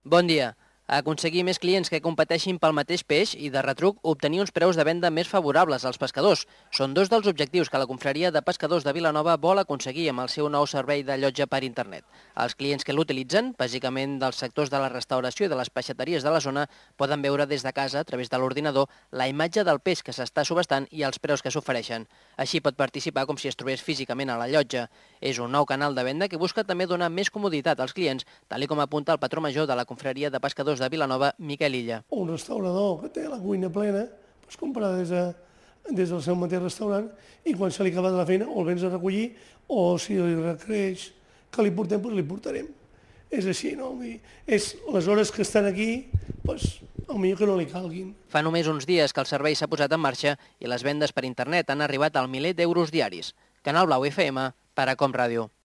Bon dia. Aconseguir més clients que competeixin pel mateix peix i, de retruc, obtenir uns preus de venda més favorables als pescadors. Són dos dels objectius que la Confraria de Pescadors de Vilanova vol aconseguir amb el seu nou servei de llotja per internet. Els clients que l'utilitzen, bàsicament dels sectors de la restauració i de les peixateries de la zona, poden veure des de casa, a través de l'ordinador, la imatge del peix que s'està subhastant i els preus que s'ofereixen. Així pot participar com si es trobés físicament a la llotja. És un nou canal de venda que busca també donar més comoditat als clients, tal com apunta el patró major de la Confraria de Pescadors de Vilanova, Miquel Illa. Un restaurador que té la cuina plena, doncs compra des del seu mateix restaurant i quan se li acaba de la feina o el vens a recollir o si li requereix que li portem, doncs li portarem. És així, no? És les hores que estan aquí, doncs millor que no li calguin. Fa només uns dies que el servei s'ha posat en marxa i les vendes per internet han arribat al miler d'euros diaris. Canal Blau FM, per a Com Ràdio.